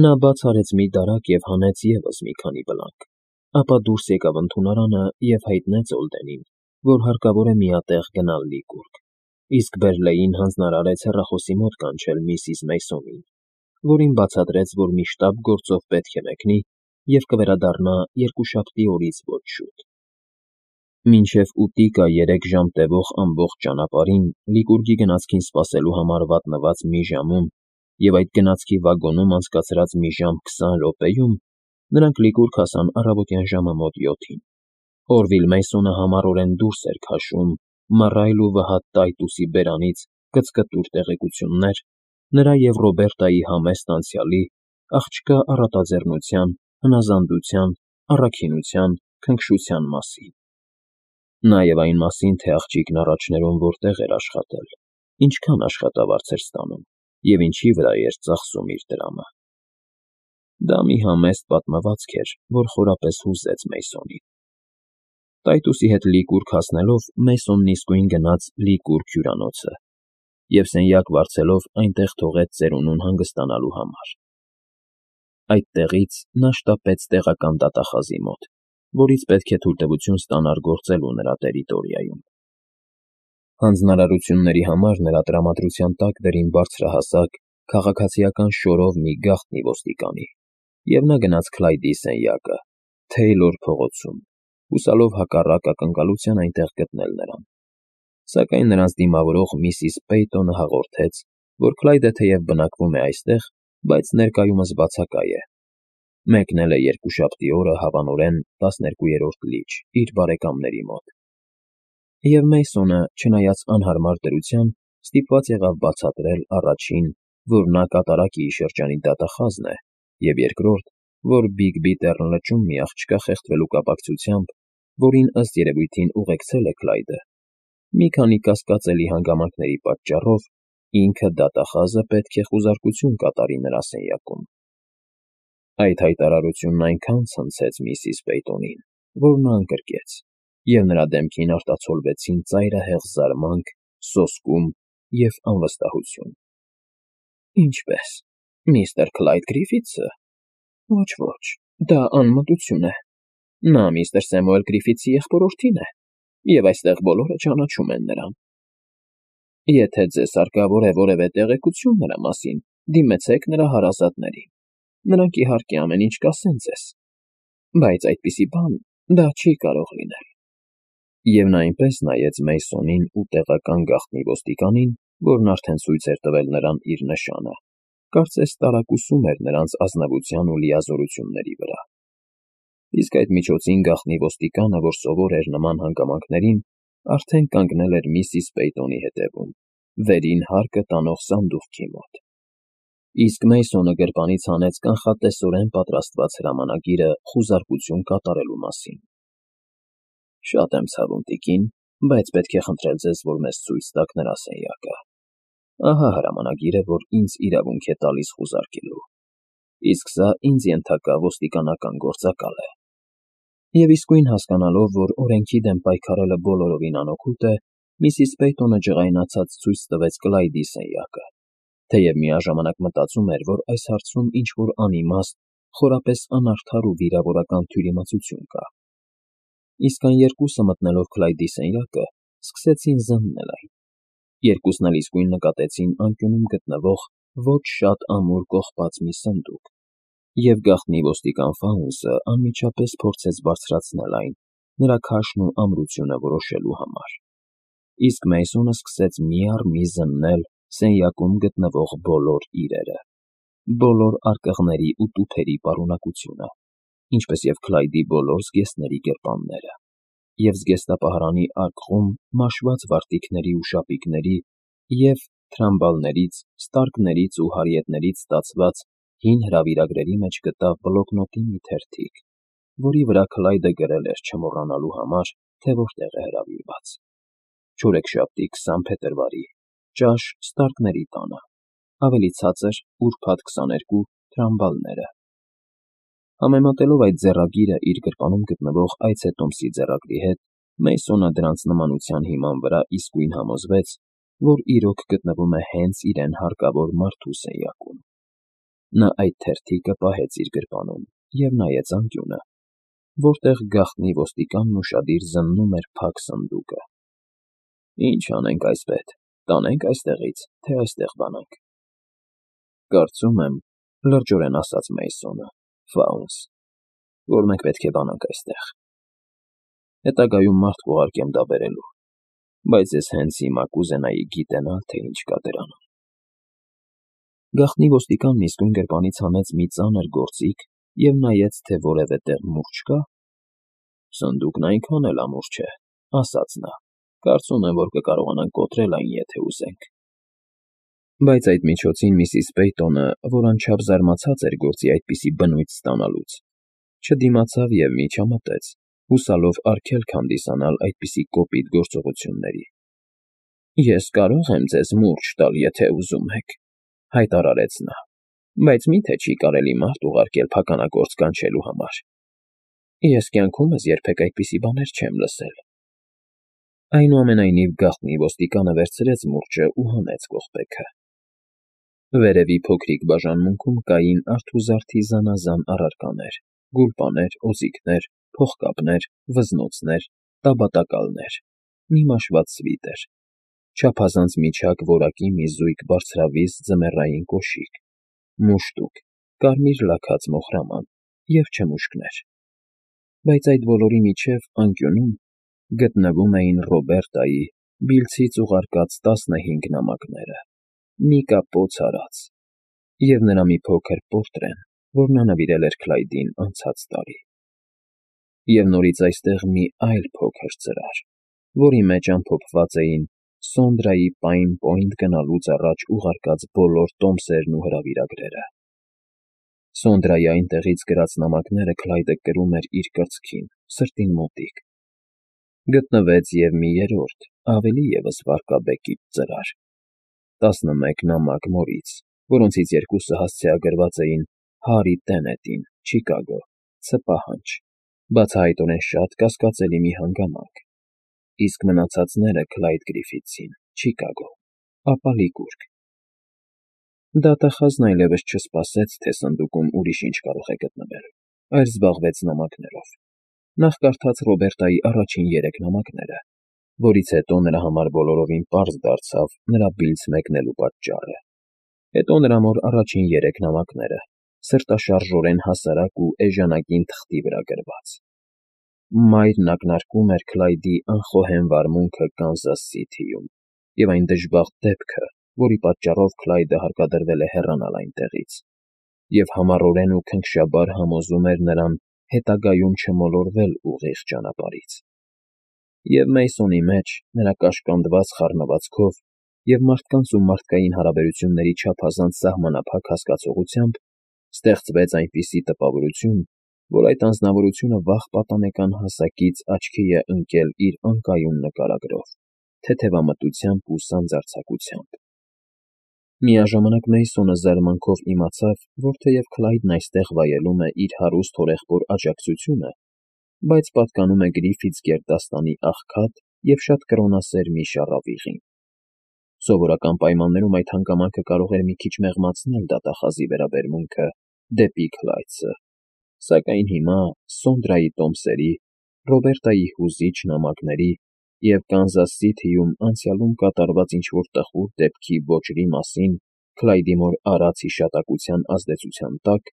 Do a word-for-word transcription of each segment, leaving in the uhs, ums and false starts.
Նա բաց արեց մի դարակ և հանեց ևս մի քանի բլանկ, ապա դուրս եկավ ընդունարանը և հայտնեց Օլդենին, որ հարկավոր է միատեղ գնալ լիկուրք, իսկ Բերլեին հանձնարարեց հեռախոսի մոտ կանչել միսիս Մեյսոնին, որին բացատրեց, որ մի շտապ գործով պետք է մեկնի և կվերադառնա երկուշաբթի օրից ոչ շուտ։ Մինչև ուտիկա երեք ժամ տևող ամբողջ ճանապարհին լիկուրգի գնացքին սպասելու համար վատնված մի ժամում և այդ գնացքի վագոնում անցկացրած մի ժամ քսան րոպեում նրանք լիկուրք հասան առավոտյան ժամը մոտ յոթին։ Օրվիլ Մեյսոնը համառորեն դուրս էր քաշում մռայլ ու վհատ Տայտուսի բերանից կծկտուր տեղեկություններ նրա և Ռոբերտայի համեստ անցյալի, աղջկա առատաձեռնության, հնազանդության, առաքինության, քնքշության մասին, նաև այն մասին, թե աղջիկն առաջներում որտեղ էր աշխատել, ինչքան աշխատավարձ էր ստանում և ինչի վրա էր ծախսում իր դրամը։ Դա մի համեստ պատմվածք էր, որ խորապես հուզեց Մեյսոնին։ Տայտուսի հետ լիկուրք հասնելով Մեյսոնն իսկույն գնաց լիկուրք հյուրանոցը և սենյակ վարձելով այնտեղ թողեց ծերունուն հանգստանալու համար։ Այդտեղից նա շտապեց տեղական դատախազի մոտ, որից պետք է թույլտվություն ստանար գործելու նրա տերիտորիայում։ Հանձնարարությունների համար նրա տրամադրության տակ դրին բարձրահասակ, քաղաքացիական շորով մի գաղտնի ոստիկանի, և նա գնաց Քլայդի սենյակը, Թեյլոր փողոցում, հուսալով հակառակ ակնկալության այնտեղ գտնել նրան։ Սակայն նրանց դիմավորող միսիս Պեյտոնը հաղորդեց, որ Քլայդը թեև բնակվում է այստեղ, բայց ներկայումս բացակայ է, մեկնել է երկուշաբթի օրը հավանորեն տասներկուերորդ լիճ իր բարեկամների մոտ։ Եվ Մեյսոնը, չնայած անհարմար դրության, ստիպված եղավ բացատրել առաջին, որ նա կատարակի շրջանի դատախազն է, և երկրորդ, որ Բիգբի Տեռն լճում մի աղջկա խեղդվելու կապակցությամբ, որին ըստ երևույթին ուղեկցել է Քլայդը, մի քանի կասկածելի հանգամանքների պատճառով ինքը դատախազը պետք է խուզարկություն կատարի նրա սենյակում։ Այդ հայտարարությունն այնքան ցնցեց միսիս Պեյտոնին, որ նա ընկրկեց, և նրա դեմքին արտացոլվեցին ծայրահեղ զարմանք, սոսկում և անվստահություն։ Ինչպե՞ս, միստր Քլայդ Գրիֆիթսը։ Ոչ, ոչ, դա անմտություն է։ Նա միստր Սեմուել Գրիֆիթսի եղբորորդին է, և այստեղ բոլորը ճանաչում են նրան։ Եթե ձեզ հարկավոր է որևէ տեղեկություն նրա մասին, դիմեցեք նրա հարազատներին, նրանք իհարկե ամեն ինչ կասեն ձեզ, բայց այդպիսի բան դա չի կարող լինել։ Եվ նա այնպես նայեց Մեյսոնին ու տեղական գաղտնի ոստիկանին, որն արդեն ցույց էր տվել նրան իր նշանը, կարծես տարակուսում էր նրանց ազնվության ու լիազորությունների վրա։ Իսկ այդ միջոցին գաղտնի ոստիկանը, որ սովոր էր նման հանգամանքներին, արդեն կանգնել էր միսիս Պեյտոնի հետևում, վերին հարկը տանող սանդուղքի մոտ։ Իսկ Մեյսոնը գրպանից հանեց կանխատեսորեն պատրաստված հրամանագիրը խուզարկություն կատարելու մասին։ Շատ եմ ցավում, տիկին, բայց պետք է խնդրել ձեզ, որ մեզ ցույց տաք նրա սենյակը։ Ահա հրամանագիրը, որ ինձ իրավունք է տալիս խուզարկելու, իսկ սա ինձ ենթակա ոստիկանական գործակալ է։ Եվ իսկույն հասկանալով, որ օրենքի դեմ պայքարելը բոլորովին անօգուտ է, միսիս Պեյտոնը ջղայնացած ցույց տվեց Քլայդի սենյակը, թեև միաժամանակ մտածում էր, որ այս հարցում ինչ-որ անիմաստ, խորապես անարդար ու վիրավորական թյուրիմացություն կա։ Իսկ այն երկուսը մտնելով Քլայդի սենյակը, սկսեցին զննել այն։ Երկուսն էլ իսկույն նկատեցին անկյունում գտնվող ոչ շատ ամուր կողպած մի սնդուկ, և գաղտնի ոստիկան Ֆաունսը անմիջապես փորձեց բարձրացնել այն, նրա քաշն ու ամրությունը որոշելու համար։ Իսկ Մեյսոնը սկսեց մի առ մի զննել սենյակում գտնվող բոլոր իրերը, բոլոր արկղների ու տուփերի պարունակությունը, ինչպես և Քլայդի բոլոր զգեստների գրպանները, և զգեստապահարանի արկղում մաշված վարտիքների ու շապիկների և թրամբալներից, ստարկներից ու հարիետներից ստացված հին հրավիրագրերի մեջ գտավ բլոկնոտի մի թերթիկ, որի վրա Քլայդը գրել էր չմոռանալու համար, թե որտեղ է հրավիրված. չորեքշաբթի քսան փետրվարի, ճաշ Ստարկների տանը, ավելի ցածր, ուրբաթ քսաներկու, Թրամբալները։ Համեմատելով այդ ձեռագիրը իր գրպանում գտնվող այցետոմսի ձեռագրի հետ, Մեյսոնը դրանց նմանության հիման վրա իսկույն համոզվեց, որ իրոք գտնվում է հենց իրեն հարկավոր մարդու սենյակում։ Նա այդ թերթիկը պահեց իր գրպանում և նայեց անկյունը, որտեղ գաղտնի ոստիկանն ուշադիր զննում էր փակ սնդուկը։ «Ինչ անենք, այսպետ, տանե՞նք այստեղից, թե այստեղ բանանք»։ «Կարծում եմ, ֊ լրջորեն ասաց Մեյսոնը, ֊ Ֆաունս, որ մենք պետք է բանանք այստեղ։ Հետագայում մարդ կուղարկեմ դա բերելու, բայց ես հենց հիմա կուզենայի գիտենալ, թե ինչ կա դրանում»։ Գաղտնի ոստիկանն իսկույն գրպանից հանեց մի ծանր գործիք և նայեց, թե որևէ տեղ մուրճ կա։ «Սնդուկն այնքան էլ ամուր չէ, ֊ ասաց նա, ֊ կարծում եմ, որ կկարողանանք կոտրել այն, եթե ուզենք»։ Բայց այդ միջոցին միսիս Պեյտոնը, որ անչափ զարմացած էր գործի այդպիսի բնույթ ստանալուց, չդիմացավ և միջամտեց, հուսալով արգելք հանդիսանալ այդպիսի կոպիտ գործողությունների։ «Ես կարող եմ ձեզ մուրճ տալ, եթե ուզում եք, ֊ հայտարարեց նա, ֊ բայց մի՞թե չի կարելի մարդ ուղարկել փականակործ կանչելու համար։ Ես կյանքումս երբեք այդպիսի բաներ չեմ լսել»։ Այնուամենայնիվ գաղտնի ոստիկանը վերցրեց մուրճն ու հանեց կողպեքը։ Վերևի փոքրիկ բաժանմունքում կային արթուզարդի զանազան առարկաներ՝ գուլպաներ, օձիքներ, փողկապներ, վզնոցներ, տաբատակալներ, մի մաշված սվիտեր, չափազանց միջակ որակի մի զույգ բարձրավիզ ձմեռային կոշիկ, մուշտուկ, կարմիր լաքած մոխրաման և չմուշկներ։ Բայց այդ բոլորի միջև անկյունում գտնվում էին Ռոբերտայի բիլցից ուղարկած տասնհինգ նամակները, մի կապոց արած և նրա մի փոքր պորտրեն, որ նա նվիրել էր Քլայդին անցած տարի։ Եվ նորից այստեղ մի այլ փոքր ծրար, որի մեջ ամփոփված էին Սոնդրայի Պայն Պոինտ գնալուց առաջ ուղարկած բոլոր տոմսերն ու հրավիրագրերը։ Սոնդրայի այնտեղից գրած նամակները Քլայդը կրում էր իր կրծքին, սրտին մոտիկ։ Գտնվեց և մի երրորդ, ավելի ևս վարկաբեկիպ ծրար՝ տասնմեկ նամակ մորից, որոնցից երկուսը հասցեագրված էին Հարի Տենետին, Չիկագո, Ց պահանջ, բացահայտորեն շատ կասկածելի մի հանգամանք, իսկ մնացածները Քլայդ Գրիֆիթսին, Չիկագո, ապա Լիկուրգ։ Դատախազն այլևս չսպասեց, թե սնդուկում ուրիշ ինչ կարող է գտնվել, այլ զբաղվեց նամակներով։ Նախ կարդաց Ռոբերտայի առաջին երեք նամակները, որից հետո նրա համար բոլորովին պարզ դարձավ նրա բիլց մեկնելու պատճառը։ Հետո նրա մոր առաջին երեք նամակները, սրտաշարժորեն հասարակ ու էժանագին թղթի վրա գրված։ Մայրն ակնարկում էր Քլայդի անխոհեմ վարմունքը Կանզաս Սիթիում և այն դժբախտ դեպքը, որի պատճառով Քլայդը հարկադրվել է հեռանալ այնտեղից, և համառորեն ու քնքշաբար համոզում էր նրան հետագայում չմոլորվել ուղիղ ճանապարհից։ Եվ Մեյսոնի մեջ, նրա կաշկանդված խառնվածքով և մարդկանց ու մարդկային հարաբերությունների չափազանց սահմանափակ հասկացողությամբ ստեղծվեց այնպիսի տպավորություն, որ այդ անձնավորությունը վաղ պատանեկան հասակից աչքի է ընկել իր անկայուն նկարագրով, թեթևամտությամբ ու սանձարձակությամբ։ Միաժամանակ Մեյսոնը զարմանքով իմացավ, որ թեև Քլայդն այստեղ վայելում է իր հարուստ հորեղբոր աջակցությունը, բայց պատկանում է Գրիֆիթս գերդաստանի աղքատ և շատ կրոնասեր մի շառավիղին։ Սովորական պայմաններում այդ հանգամանքը կարող էր մի քիչ մեղմացնել դատախազի վերաբերմունքը դեպի Քլայդսը, սակայն հիմա Սոնդրայի տոմսերի, Ռոբերտայի հուզիչ նամակների և Կանզաս Սիթիում անցյալում կատարված ինչ֊որ տխուր դեպքի ոճրի մասին Քլայդի մոր արած հիշատակության ազդեցության տակ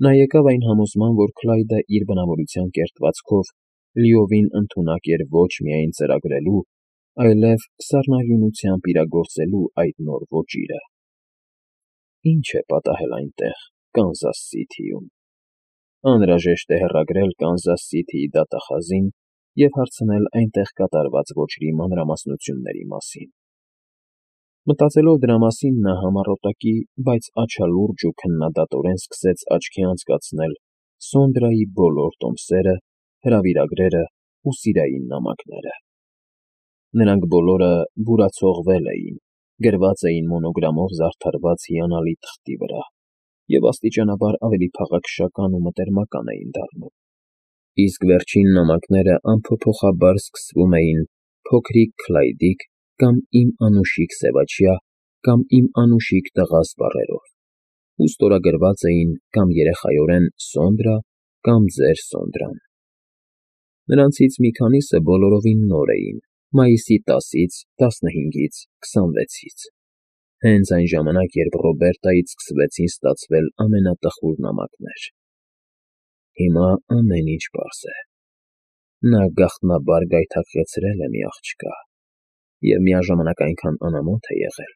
նա եկավ այն համոզման, որ Քլայդը իր բնավորության կերտվածքով լիովին ընդունակ էր ոչ միայն ծրագրելու, այլև սառնարյունությամբ իրագործելու այդ նոր ոճիրը։ Ի՞նչ է պատահել այնտեղ, Կանզաս Սիթիում։ Անհրաժեշտ է հեռագրել Կանզաս Սիթիի դատախազին և հարցնել այնտեղ կատարված ոճրի մանրամասնությունների մասին։ Մտածելով դրա մասին՝ նա համառոտակի, բայց աչալուրջ ու քննադատորեն սկսեց աչքի անցկացնել Սոնդրայի բոլոր տոմսերը, հրավիրագրերը ու սիրային նամակները։ Նրանք բոլորը բուրացողվել էին, գրված էին մոնոգրամով զարդարված հիանալի թղթի վրա և աստիճանաբար ավելի փաղաքշական ու մտերմական էին դառնում։ Իսկ վերջին նամակները անփոփոխաբար սկսվում էին «Փոքրիկ Քլայդիկ» կամ «Իմ անուշիկ սևաչյա» կամ «Իմ անուշիկ տղա» բառերով։ ու ստորագրված էին կամ երեխայորեն Սոնդրա կամ ձեր Սոնդրան։ Նրանցից մի քանիսը բոլորովին նոր էին, մայիսի տասից, տասնհինգից, քսանվեցից, հենց այն ժամանակ, երբ Ռոբերտայից սկսվեցին ստացվել ամենատխուր նամակներ։ Հիմա ամեն ինչ պարզ է։ Նա գաղտնաբար գայթակղեցրել է մի աղջկա և միաժամանակ այնքան անամոթ է եղել,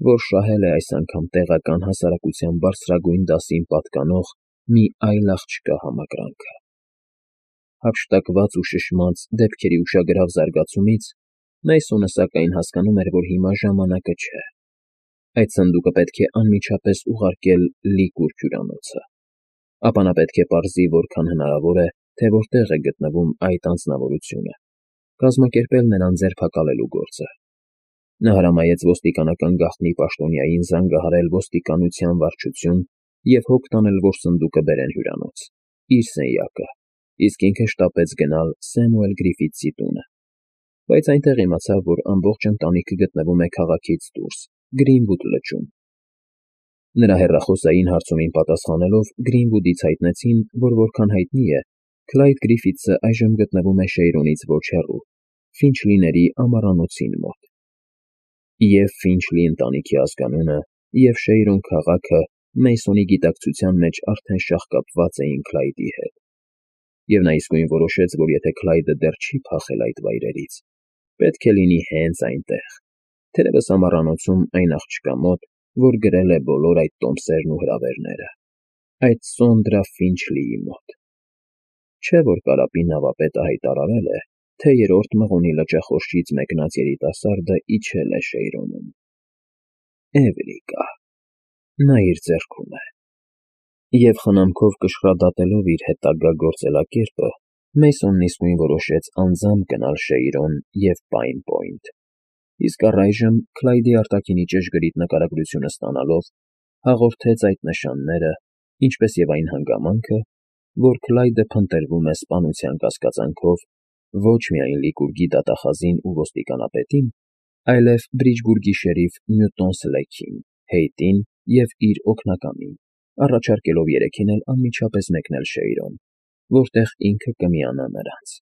որ շահել է այս անգամ տեղական հասարակության բարձրագույն դասին պատկանող մի այլ աղջկա համակրանքը։ Հափշտակված ու շշմած դեպքերի ուշագրավ զարգացումից Մեյսոնը սակայն հասկանում էր, որ հիմա ժամանակը չէ։ Այդ սնդուկը պետք է անմիջապես ուղարկել Լիկուր հյուրանոցը, ապա նա պետք է պարզի որքան հնարավոր է, թե որտեղ է գտնվում այդ անձնավորությունը, կազմակերպել նրան ձերբակալելու գործը։ Նա հրամայեց ոստիկանական գաղտնի պաշտոնյային զանգահարել ոստիկանության վարչություն և հոգ տանել, որ սնդուկը բերեն հյուրանոց, իր սենյակը, իսկ ինքը շտապեց գնալ Սեմուել Գրիֆիթսի տունը, բայց այնտեղ իմացավ, որ ամբողջ ընտանիքը գտնվում է քաղաքից դուրս, Գրինվուդ լճում։ Նրա հեռախոսային հարցումին պատասխանելով Գրինվուդից հայտնեցին, որ որքան հայտնի է, Քլայդ Գրիֆիթսը այժմ գտնվում է Շեյրոնից ոչ հեռու, Ֆինչլիների ամառանոցին մոտ։ Եվ Ֆինչլի ընտանիքի ազգանունը, և Շեյրոն քաղաքը Մեյսոնի գիտակցության մեջ արդեն շաղկապված էին Քլայդի հետ, և նա իսկույն որոշեց, որ եթե Քլայդը դեռ չի փախել այդ վայրերից, պետք է լինի հենց այնտեղ, թերևս ամառանոցում այն աղջկա մոտ, որ գրել է բոլոր այդ տոմսերն ու հրավերները, այդ Սոնդրա Ֆինչլիի մոտ։ Չէ՞ որ Կարապի նավապետը հայտարարել է, թե երրորդ մղոնի լճախորշից մեկնած երիտասարդը իջել է Շեյրոնում։ Էվրիկա, նա իր ձեռքում է։ Եվ խնամքով կշռադատելով իր հետագա գործելակերպը, Մեյսոնն իսկույն որոշեց անձամբ գնալ Շեյրոն և Պայն Պոինթ, իսկ առայժմ, Քլայդի արտաքինի ճշգրիտ նկարագրությունը ստանալով, հաղորդեց այդ նշանները, ինչպես և այն հանգամանքը, որ Քլայդը փնտրվում է սպանության կասկածանքով ոչ միայն Լիկուրգի դատախազին ու ոստիկանապետին, այլև Բրիջբուրգի շերիֆ Նյուտոն Սլեքին, Հեյտին և իր օգնականին, առաջարկելով երեքին էլ անմիջապես մեկնել Շեյրոն, որտեղ ինքը կմիանա նրանց։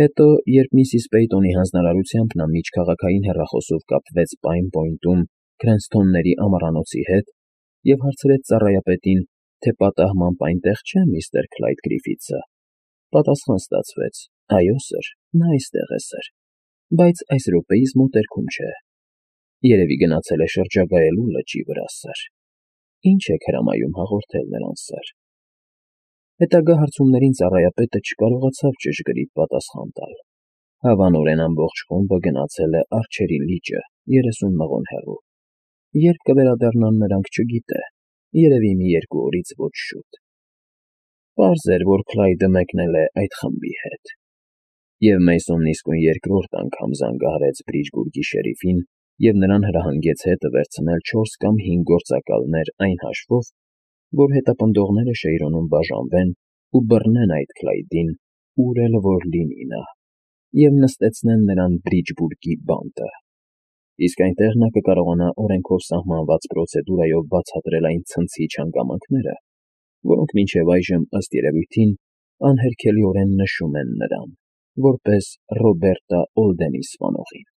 Հետո, երբ միսիս Պեյտոնի հանձնարարությամբ նա միջքաղաքային հեռախոսով կապվեց Պայն Պոինթում Քրենսթոնների ամառանոցի հետ և հարցրեց ծառայապետին, թե պատահմամբ այնտեղ չէ միստր Քլայդ Գրիֆիթսը, պատասխան ստացվեց. «Այո, սըր, նա այստեղ է, սըր, բայց այս րոպեիս մոտերքում չէ։ Երևի գնացել է շրջագայելու լճի վրա, սըր։ Ինչ եք հրամայում հաղորդել նրան, սըր»։ Հետագա հարցումներին ծառայապետը չկարողացավ ճշգրիտ պատասխան տալ։ Հավանորեն ամբողջ խումբը գնացել է Արջերի լիճը, երեսուն մղոն հեռու։ Երբ կվերադառնան նրանք, չգիտե, երևի մի երկու օրից ոչ շուտ։ Պարզ էր, որ Քլայդը մեկնել է այդ խմբի հետ։ Եվ Մեյսոնն իսկույն երկրորդ անգամ զանգահարեց Բրիջբուրգի շերիֆին և նրան հրահանգեց հետը վերցնել չորս կամ հինգ գործակալներ այն հաշվով, որ հետապնդողները Շեյրոնում բաժանվեն ու բռնեն այդ Քլայդին, ուր էլ որ լինի նա, և նստեցնեն նրան Բրիջբուրգի բանտը։ Իսկ այնտեղ նա կկարողանա օրենքով սահմանված պրոցեդուրայով բացատրել այն ցնցիչ հանգամանքները, որոնք մինչև այժմ, ըստ երևույթին, անհերքելիորեն նշում են նրան, որպես Ռոբերտա Օլդենի սպանողին։